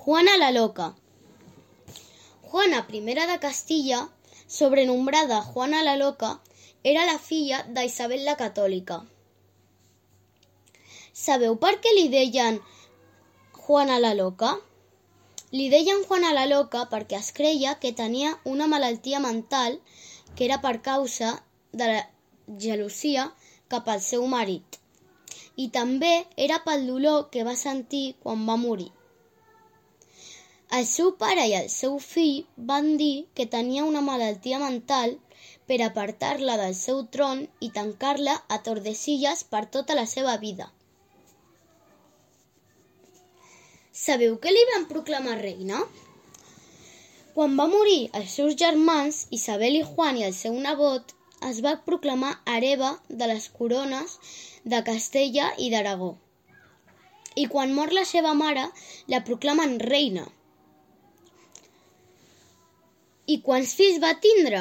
Juana la Loca. Juana I de Castilla, sobrenombrada Juana la Loca, era la filla d'Isabel la Catòlica. Sabeu per què li deien Juana la Loca? Li deien Juana la Loca perquè es creia que tenia una malaltia mental que era per causa de la gelosia cap al seu marit, i també era pel dolor que va sentir quan va morir. El seu pare i el seu fill van dir que tenia una malaltia mental per apartar-la del seu tron i tancar-la a Tordesillas per tota la seva vida. Sabeu què li van proclamar reina? Quan va morir els seus germans, Isabel i Juan i el seu nebot, es va proclamar hereva de les corones de Castella i d'Aragó. I quan mor la seva mare, la proclamen reina. I quants fills va tindre?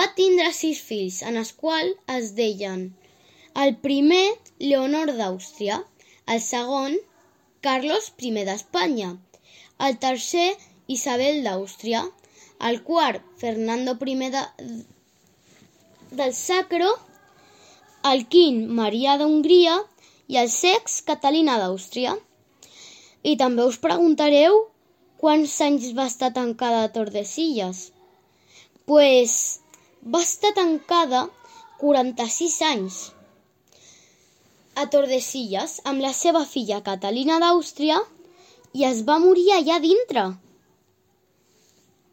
Va tindre 6 fills, en els quals es deien el primer, Leonor d'Àustria, el segon, Carlos I d'Espanya, el tercer, Isabel d'Àustria, el quart, Fernando I del Sacro, el quint, Maria d'Hongria i el sext, Catalina d'Àustria. I també us preguntareu quants anys va estar tancada a Tordesillas? Pues va estar tancada 46 anys a Tordesillas amb la seva filla Catalina d'Àustria i es va morir allà dintre.